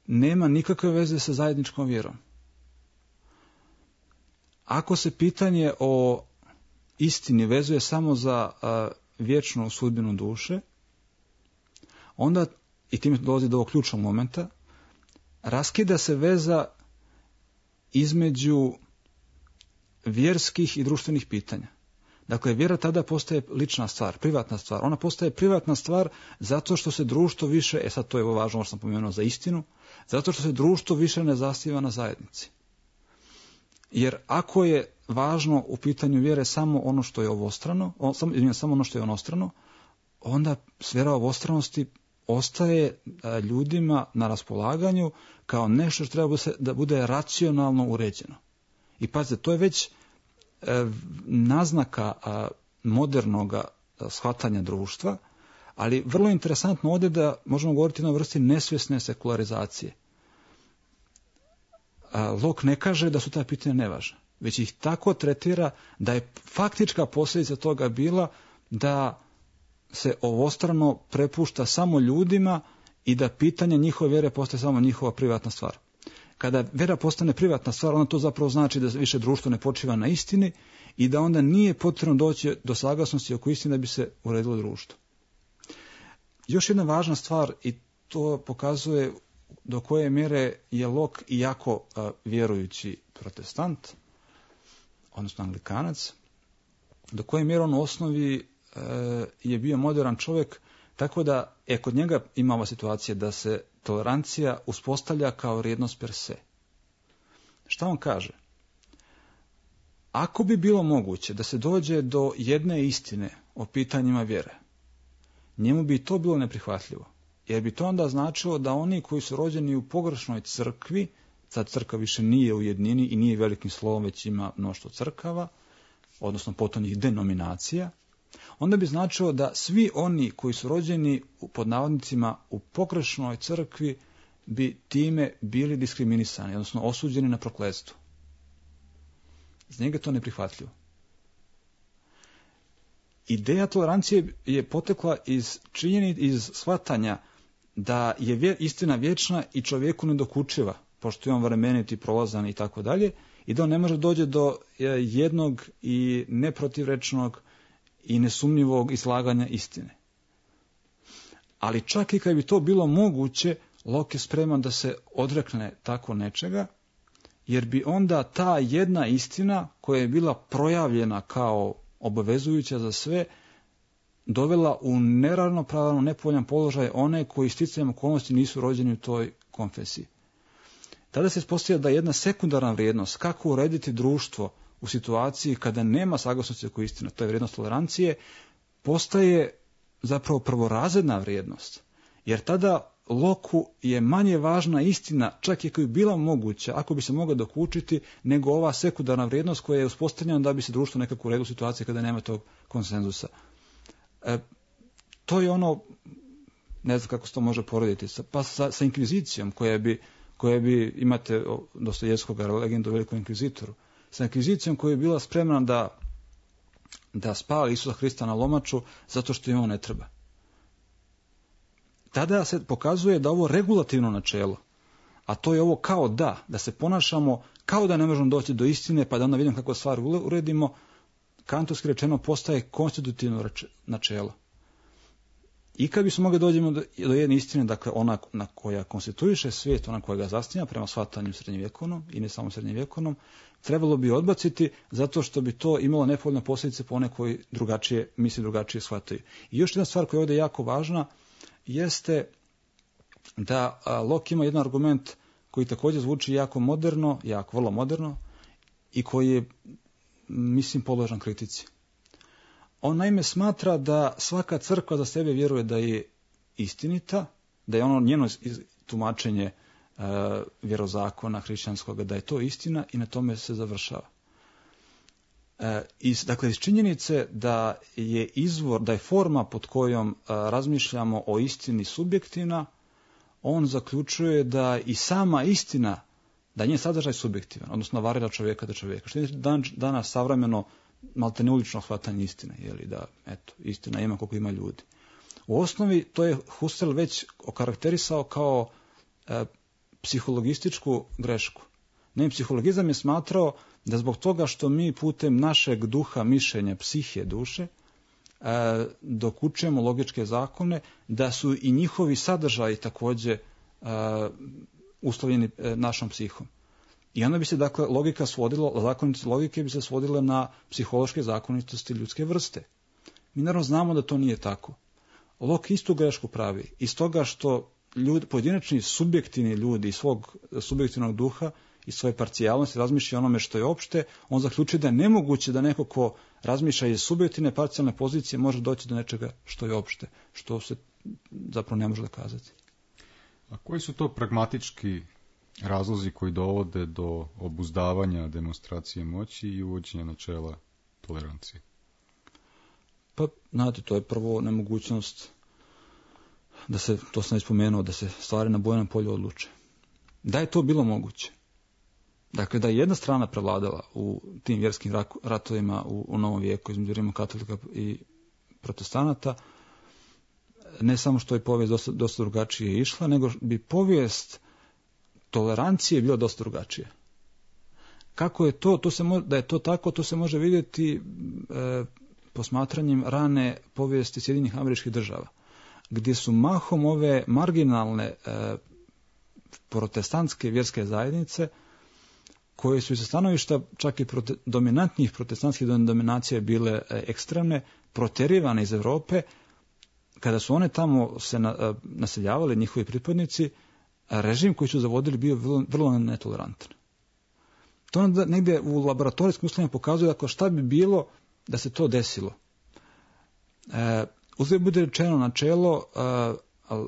nema nikakve veze sa zajedničkom vjerom. Ako se pitanje o istini vezuje samo za a, vječnu sudbinu duše, onda, i time dolazi do ovog ključnog momenta, raskida se veza između vjerskih i društvenih pitanja. Dakle, vjera tada postaje lična stvar, privatna stvar. Ona postaje privatna stvar zato što se društvo više, e sad to je važno, što sam pomenuo za istinu, zato što se društvo više ne zasniva na zajednici. Jer ako je važno u pitanju vjere samo ono što je ovostrano, samo, samo ono što je onostrano, onda sfera ovostranosti ostaje ljudima na raspolaganju kao nešto što treba da bude racionalno uređeno. I pazite, to je već naznaka modernog shvatanja društva, ali vrlo interesantno ovdje da možemo govoriti o jednoj vrsti nesvjesne sekularizacije. Locke ne kaže da su ta pitanja nevažna, već ih tako tretira da je faktička posljedica toga bila da se ovostrano prepušta samo ljudima i da pitanje njihove vjere postaje samo njihova privatna stvar. Kada vjera postane privatna stvar, onda to zapravo znači da više društvo ne počiva na istini i da onda nije potrebno doći do saglasnosti oko istine da bi se uredilo društvo. Još jedna važna stvar, i to pokazuje do koje mjere je Locke jako uh, vjerujući protestant, odnosno anglikanac, do koje mjere on u osnovi uh, je bio moderan čovjek, tako da je kod njega imala situacija da se tolerancija uspostavlja kao vrijednost per se. Šta on kaže? Ako bi bilo moguće da se dođe do jedne istine o pitanjima vjere, njemu bi to bilo neprihvatljivo. Jer bi to onda značilo da oni koji su rođeni u pogrešnoj crkvi, sad crkva više nije u jednini i nije velikim slovom, već ima mnoštvo crkava, odnosno potonjih denominacija, onda bi značilo da svi oni koji su rođeni pod navodnicima u pogrešnoj crkvi bi time bili diskriminisani, odnosno osuđeni na prokletstvo. Za njega je to neprihvatljivo. Ideja tolerancije je potekla iz činjeni, iz shvatanja da je istina vječna i čovjeku ne dokučiva, pošto je on vremenit i prolazan i tako dalje, i da on ne može dođe do jednog i neprotivrečnog i nesumnjivog izlaganja istine. Ali čak i kad bi to bilo moguće, Locke je spreman da se odrekne tako nečega, jer bi onda ta jedna istina koja je bila projavljena kao obavezujuća za sve, dovela u neravnopravan, nepovoljan položaj one koji sticajem okolnosti nisu rođeni u toj konfesiji. Tada se ispostavlja da jedna sekundarna vrijednost, kako urediti društvo u situaciji kada nema saglasnosti oko istina, to je vrijednost tolerancije, postaje zapravo prvorazredna vrijednost. Jer tada Locku je manje važna istina, čak i ako je bila moguća, ako bi se mogla dokučiti, nego ova sekundarna vrijednost koja je uspostavljena da bi se društvo nekako uredilo u situaciji kada nema tog konsenzusa. E, to je ono, ne znam kako se to može porediti, pa sa, sa inkvizicijom koja bi, koja bi, imate Dostojevskog legendu o velikom inkvizitoru, sa inkvizicijom koja je bila spremna da, da spali Isusa Hrista na lomaču zato što im on ne treba. Tada se pokazuje da ovo regulativno načelo, a to je ovo kao da, da se ponašamo kao da ne možemo doći do istine, pa da onda vidimo kako stvar uredimo, kantovski rečeno postaje konstitutivno načelo. I kad bismo mogli dođemo do, do jedne istine, dakle ona na koja konstituiše svijet, ona koja ga zasniva prema shvatanju srednjevjekovnom i ne samo srednjevjekovnom, trebalo bi odbaciti zato što bi to imalo nepovoljne posljedice po one koji drugačije misli, drugačije shvataju. I još jedna stvar koja je ovdje jako važna jeste da Locke ima jedan argument koji također zvuči jako moderno, jako vrlo moderno i koji je, mislim, podložan kritici. On naime smatra da svaka crkva za sebe vjeruje da je istinita, da je ono njeno tumačenje uh, vjerozakona hrišćanskog, da je to istina i na tome se završava. Uh, iz, dakle, iz činjenice da je izvor, da je forma pod kojom uh, razmišljamo o istini subjektivna, on zaključuje da i sama istina, da njen sadržaj subjektivan, odnosno varira čovjeka do čovjeka. Što je dan, danas savremeno malte neulično shvatanje istine, jeli, da eto, istina ima koliko ima ljudi. U osnovi to je Husserl već okarakterisao kao e, psihologističku grešku. Ne, psihologizam je smatrao da zbog toga što mi putem našeg duha, mišljenja, psihe, duše, e, dokučujemo logičke zakone, da su i njihovi sadržaji također e, uslovljeni e, našom psihom. I onda bi se, dakle, logika svodila, zakonitosti logike bi se svodile na psihološke zakonitosti ljudske vrste. Mi naravno znamo da to nije tako. Locke istu grešku pravi. Iz toga što ljudi, pojedinačni subjektivni ljudi iz svog subjektivnog duha i svoje parcijalnosti razmišlja onome što je opšte, on zaključuje da je nemoguće da neko ko razmišlja iz subjektivne parcijalne pozicije može doći do nečega što je opšte, što se zapravo ne može dokazati. A koji su to pragmatički razlozi koji dovode do obuzdavanja demonstracije moći i uvođenja načela tolerancije? Pa, znate, to je prvo nemogućnost da se, to sam već spomenuo, da se stvari na bojnom polju odluče. Da je to bilo moguće, dakle da je jedna strana prevladala u tim vjerskim ratovima u, u novom vijeku između rimokatolika i protestanata, ne samo što je povijest dosta, dosta drugačije išla, nego bi povijest tolerancije bila dosta drugačija. Kako je to, to se mo, da je to tako, to se može vidjeti e, posmatranjem rane povijesti Sjedinjenih Američkih Država, gdje su mahom ove marginalne e, protestantske vjerske zajednice, koje su sa stanovišta čak i prote, dominantnih protestantskih dominacija bile e, ekstremne, proterivane iz Europe, kada su one tamo se na, e, naseljavali, njihovi pripadnici, režim koji su zavodili bio vrlo, vrlo netolerantan. To onda negdje u laboratorijskim uslovima pokazuje dakle, šta bi bilo da se to desilo. E, uzgled bude rečeno načelo e,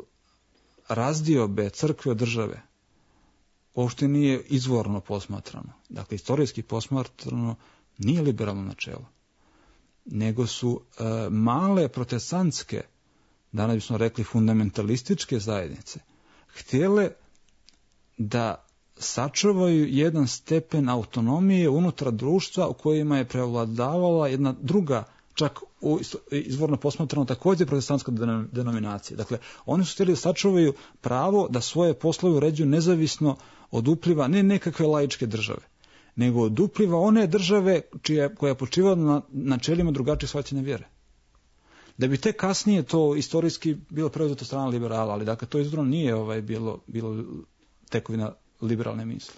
razdiobe crkve od države uopšte nije izvorno posmatrano. Dakle, istorijski posmatrano nije liberalno načelo. Nego su e, male protestantske, danas bismo rekli fundamentalističke zajednice, htjele da sačuvaju jedan stepen autonomije unutar društva u kojima je prevladavala jedna druga čak u izvorno posmatrano također protestantska denominacija. Dakle, oni su htjeli da sačuvaju pravo da svoje poslove uređuju nezavisno od upliva ne nekakve laičke države, nego od upliva one države čija, koja je počivala na načelima drugačije shvaćene vjere. Da bi tek kasnije to istorijski bilo preuzeto strana liberala, ali dakle to izvorno nije ovaj, bilo, bilo tekovina liberalne misli.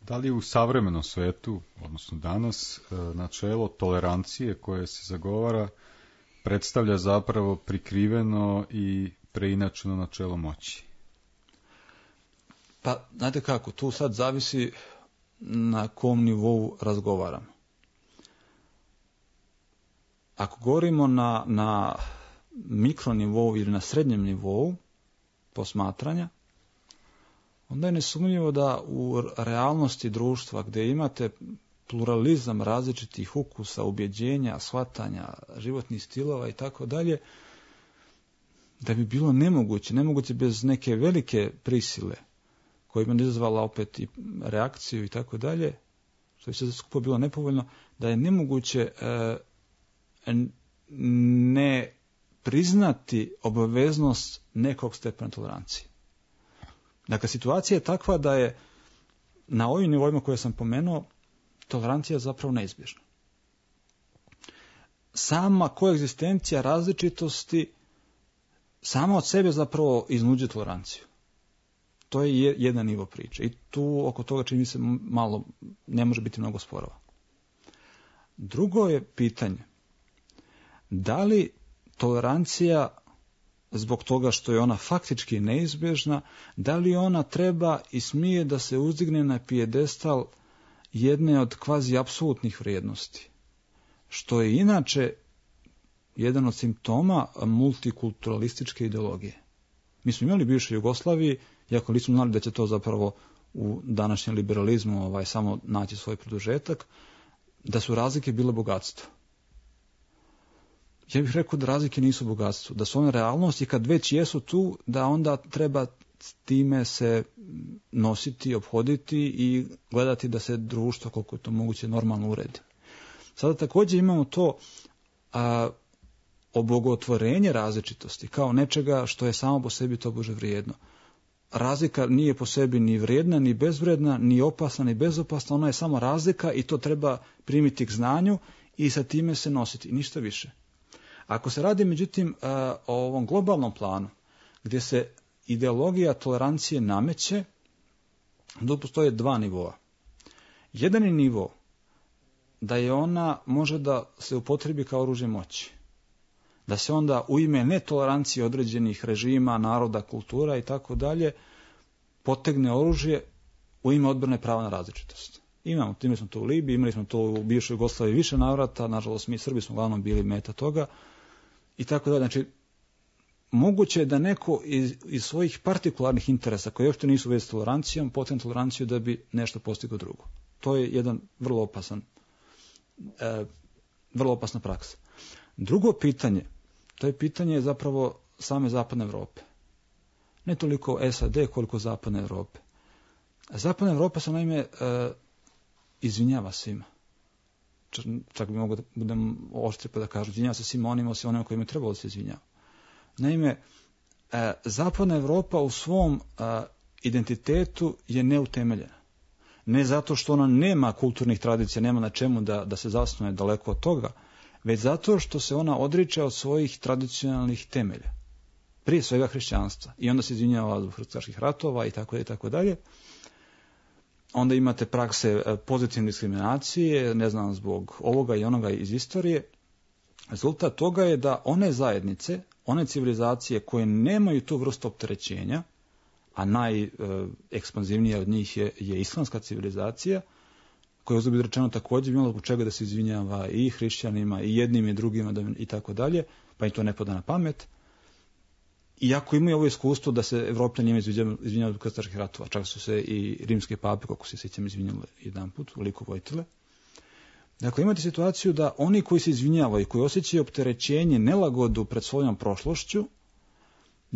Da li u savremenom svetu, odnosno danas, načelo tolerancije koje se zagovara predstavlja zapravo prikriveno i preinačeno načelo moći? Pa, znate kako, tu sad zavisi na kom nivou razgovaramo. Ako govorimo na, na mikronivou ili na srednjem nivou posmatranja, onda je nesumnjivo da u realnosti društva gdje imate pluralizam različitih ukusa, ubjeđenja, shvatanja, životnih stilova i tako dalje, da bi bilo nemoguće, nemoguće bez neke velike prisile koja bi izazvala opet i reakciju i tako dalje, što bi se skupo bilo nepovoljno, da je nemoguće e, ne priznati obaveznost nekog stepena tolerancije. Dakle, situacija je takva da je na ovim nivoima koje sam pomenuo tolerancija zapravo neizbježna. Sama koegzistencija različitosti sama od sebe zapravo iznuđuje toleranciju. To je jedan nivo priče i tu oko toga čini mi se malo, ne može biti mnogo sporova. Drugo je pitanje, da li tolerancija zbog toga što je ona faktički neizbježna, da li ona treba i smije da se uzdigne na pijedestal jedne od kvazi apsolutnih vrijednosti, što je inače jedan od simptoma multikulturalističke ideologije. Mi smo imali bivšoj Jugoslaviji, iako nismo znali da će to zapravo u današnjem liberalizmu ovaj, samo naći svoj produžetak, da su razlike bile bogatstvo. Ja bih rekao da razlike nisu bogatstvo, da su one realnosti, kad već jesu tu, da onda treba time se nositi, ophoditi i gledati da se društvo, koliko je to moguće, normalno uredi. Sada također imamo to a, obogotvorenje različitosti kao nečega što je samo po sebi tobože vrijedno. Razlika nije po sebi ni vrijedna, ni bezvrijedna, ni opasna, ni bezopasna, ona je samo razlika i to treba primiti k znanju i sa time se nositi, ništa više. Ako se radi, međutim, o ovom globalnom planu, gdje se ideologija tolerancije nameće, tu postoje dva nivoa. Jedan je nivo da je ona može da se upotrebi kao oružje moći. Da se onda u ime netolerancije određenih režima, naroda, kultura i tako dalje potegne oružje u ime odbrane prava na različitost. Imamo, imali smo to u Libiji, imali smo to u bivšoj Jugoslaviji više navrata, nažalost mi Srbi smo uglavnom bili meta toga i tako dalje. Znači, moguće je da neko iz, iz svojih partikularnih interesa, koji uopšte nisu u vezi s tolerancijom, potegne toleranciju da bi nešto postigao drugo. To je jedan vrlo opasan, e, vrlo opasna praksa. Drugo pitanje, to je pitanje zapravo same zapadne Europe. Ne toliko S A D koliko zapadne Europe. Zapadna Europa se naime e, izvinjava svima. Čak bi mogo da budem oštri pa da kažu, izvinjava se svima onima, osim onima kojima je trebalo da se izvinjava. Naime, e, zapadna Europa u svom e, identitetu je neutemeljena. Ne zato što ona nema kulturnih tradicija, nema na čemu da, da se zasnuje daleko od toga, već zato što se ona odriče od svojih tradicionalnih temelja. Prije svega hrišćanstva. I onda se izvinjava zbog krstaških ratova i tako i tako dalje. Onda imate prakse pozitivne diskriminacije, ne znam, zbog ovoga i onoga iz istorije. Rezultat toga je da one zajednice, one civilizacije koje nemaju tu vrstu opterećenja, a najekspanzivnija od njih je, je islamska civilizacija, koja je uzgled rečeno također imala zbog čega da se izvinjava i hrišćanima, i jednim i drugima i tako dalje, pa im to ne pada na pamet. Iako imaju ovo iskustvo da se Evropljani njima izvinjavaju od krstaških ratova, čak su se i rimske pape, kako se sjećam, izvinjali jedan put, u liku Vojtile. Dakle, imate situaciju da oni koji se izvinjavaju, koji osjećaju opterećenje, nelagodu pred svojom prošlošću,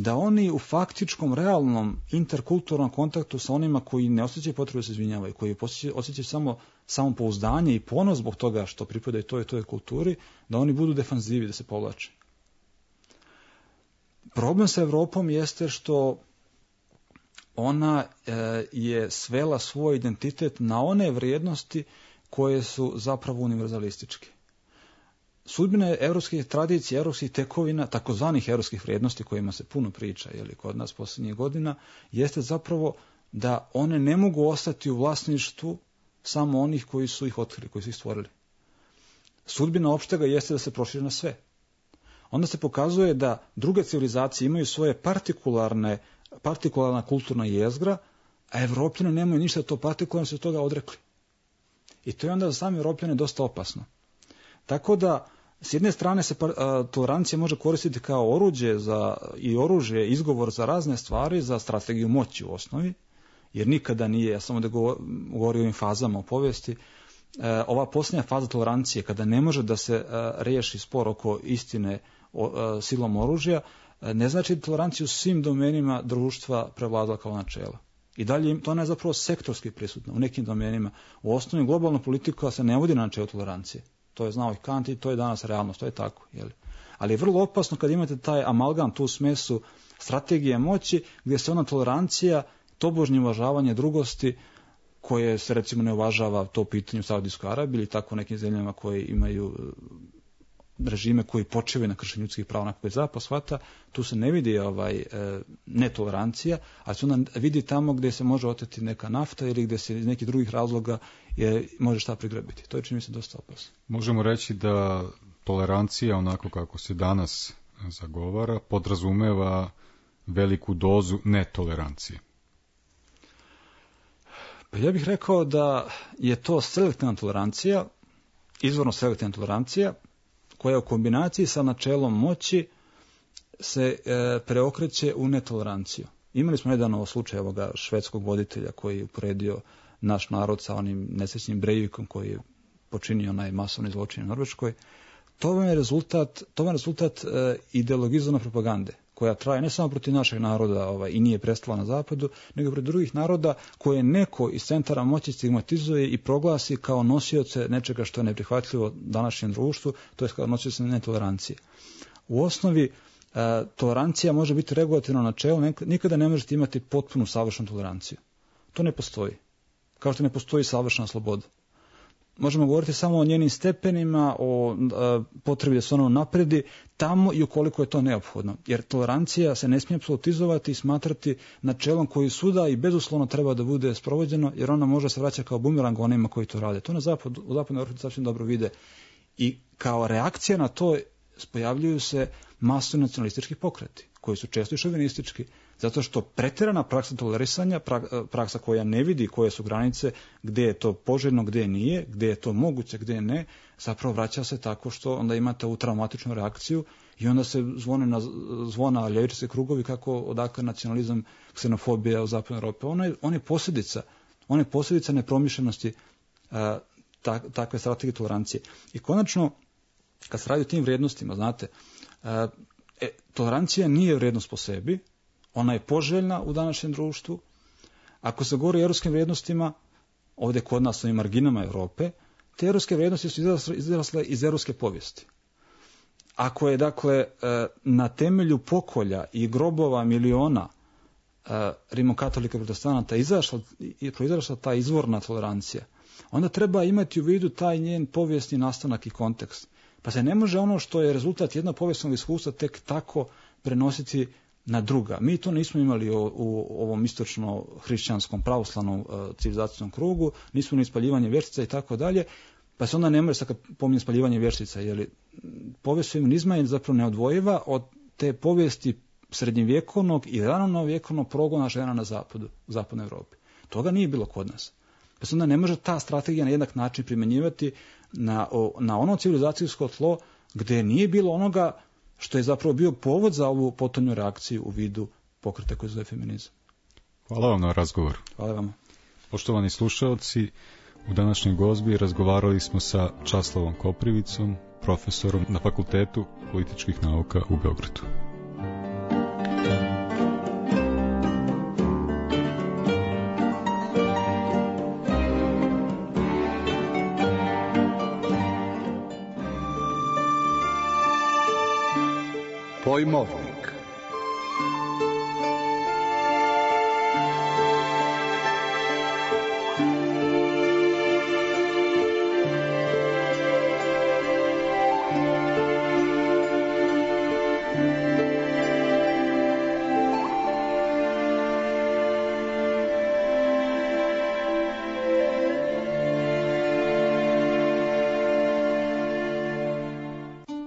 da oni u faktičkom, realnom, interkulturnom kontaktu sa onima koji ne osjećaju potrebu da se izvinjavaju, koji osjećaju samo samopouzdanje i ponos zbog toga što pripadaju toj i toj kulturi, da oni budu defanzivi, da se povlače. Problem sa Evropom jeste što ona e, je svela svoj identitet na one vrijednosti koje su zapravo univerzalističke. Sudbine evropskih tradicija, evropskih tekovina, takozvanih evropskih vrijednosti kojima se puno priča jeli, kod nas posljednjih godina, jeste zapravo da one ne mogu ostati u vlasništvu samo onih koji su ih otkrili, koji su ih stvorili. Sudbina opštega jeste da se proširi na sve. Onda se pokazuje da druge civilizacije imaju svoje partikularne, partikularna kulturna jezgra, a Evropljani nemaju ništa to partikularno, se toga odrekli. I to je onda za sami Evropljane dosta opasno. Tako da, s jedne strane se a, tolerancija može koristiti kao oruđe za, i oružje, izgovor za razne stvari, za strategiju moći u osnovi, jer nikada nije, ja sam ovdje govorio o ovim fazama u povijesti, e, ova posljednja faza tolerancije, kada ne može da se a, riješi spor oko istine o, a, silom oružja, a, ne znači da toleranciju u svim domenima društva prevladala kao načela. I dalje, to ne je zapravo sektorski prisutno u nekim domenima. U osnovi globalna politika se ne vodi na načelu tolerancije. To je znao i Kant i to je danas realnost, to je tako. Jeli? Ali je vrlo opasno kad imate taj amalgam, tu smesu strategije moći, gdje se ona tolerancija, tobožnje uvažavanje drugosti, koje se recimo ne uvažava to pitanje u Saudijskoj Arabiji ili tako u nekim zemljama koje imaju režime koji počivaju na kršenju ljudskih prava, onako koji zapad shvata, tu se ne vidi ovaj, e, netolerancija, ali se onda vidi tamo gdje se može oteti neka nafta ili gdje se iz nekih drugih razloga je, može šta prigrabiti. To je čini mi se dosta opasno. Možemo reći da tolerancija, onako kako se danas zagovara, podrazumeva veliku dozu netolerancije. Pa ja bih rekao da je to selektivna tolerancija, izvorno selektivna tolerancija, koja u kombinaciji sa načelom moći se e, preokreće u netoleranciju. Imali smo nedavno slučaj ovoga švedskog voditelja koji je uporedio naš narod sa onim nesrećnim Breivikom koji je počinio onaj masovni zločin u Norveškoj. To vam je rezultat, to vam je rezultat e, ideologizovane propagande koja traje ne samo protiv našeg naroda ovaj, i nije prestala na zapadu, nego protiv drugih naroda koje neko iz centara moći stigmatizuje i proglasi kao nosioce nečega što je neprihvatljivo današnjem društvu, to je kao nosioce netolerancije. U osnovi, e, tolerancija može biti regulativno načelo, nikada ne možete imati potpunu savršenu toleranciju. To ne postoji. Kao što ne postoji savršena sloboda. Možemo govoriti samo o njenim stepenima, o a, potrebi da se ono napredi, tamo i ukoliko je to neophodno. Jer tolerancija se ne smije apsolutizovati i smatrati načelom koji suda i bezuslovno treba da bude sprovođeno, jer ona može se vraćati kao bumerang onima koji to rade. To na zapadu, u zapadnoj Evropi sasvim dobro vide. I kao reakcija na to pojavljuju se masovni nacionalistički pokreti, koji su često i šovinistički. Zato što pretjerana praksa tolerisanja, praksa koja ne vidi koje su granice, gdje je to poželjno, gdje nije, gdje je to moguće, gdje ne, zapravo vraća se tako što onda imate ovu traumatičnu reakciju i onda se zvone na zvona ljevičarski krugovi kako odakle nacionalizam, ksenofobija u zapadnoj Europi. Ono je, on je posljedica, on je posljedica nepromišljenosti a, tak, takve strategije tolerancije. I konačno, kad se radi o tim vrijednostima, znate, a, e, tolerancija nije vrijednost po sebi, ona je poželjna u današnjem društvu. Ako se govori o europskim vrijednostima, ovdje kod nas u marginama Europe, te europske vrijednosti su izrasle iz europske povijesti. Ako je, dakle, na temelju pokolja i grobova miliona rimokatolika protestanata izašla, proizašla ta izvorna tolerancija, onda treba imati u vidu taj njen povijesni nastanak i kontekst. Pa se ne može ono što je rezultat jednog povijesnog iskustva tek tako prenositi na druga. Mi to nismo imali u, u ovom istočno-hrišćanskom pravoslavnom uh, civilizacijskom krugu, nismo ni ispaljivanje vječica i tako dalje, pa se onda ne može sad kad pominje spaljivanje vječica, jer povijest feminizma je zapravo neodvojiva od te povijesti srednjevjekovnog i ranovjekovnog progona žena na zapadu, u zapadnoj Europi. Toga nije bilo kod nas. Pa se onda ne može ta strategija na jednak način primjenjivati na, o, na ono civilizacijsko tlo gdje nije bilo onoga što je zapravo bio povod za ovu potonju reakciju u vidu pokreta koji zove feminizam. Hvala vam na razgovor. Hvala vam. Poštovani slušalci, u današnjoj gozbi razgovarali smo sa Časlavom Koprivicom, profesorom na Fakultetu političkih nauka u Beogradu. Pojmovnik.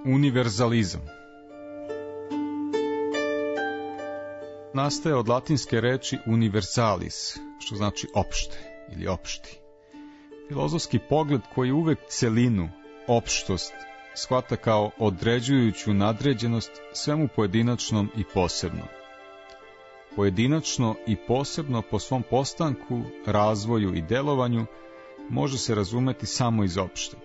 Univerzalizam nastaje od latinske reči universalis, što znači opšte ili opšti. Filozofski pogled koji uvek celinu, opštost, shvata kao određujuću nadređenost svemu pojedinačnom i posebnom. Pojedinačno i posebno po svom postanku, razvoju i delovanju može se razumeti samo iz opšteg.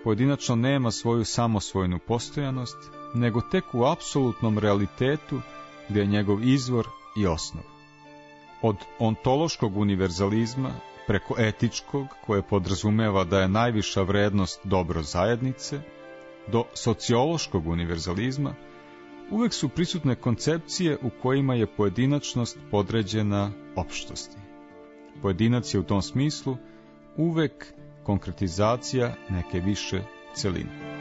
Pojedinačno nema svoju samosvojnu postojanost, nego tek u apsolutnom realitetu gdje je njegov izvor i osnov. Od ontološkog univerzalizma preko etičkog, koje podrazumeva da je najviša vrednost dobro zajednice, do sociološkog univerzalizma, uvek su prisutne koncepcije u kojima je pojedinačnost podređena opštosti. Pojedinac je u tom smislu uvek konkretizacija neke više celine.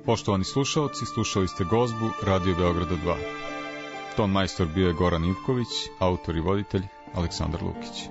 Poštovani slušalci, slušali ste Gozbu Radio Beograda dva. Ton majstor bio je Goran Ivković, autor i voditelj Aleksandar Lukić.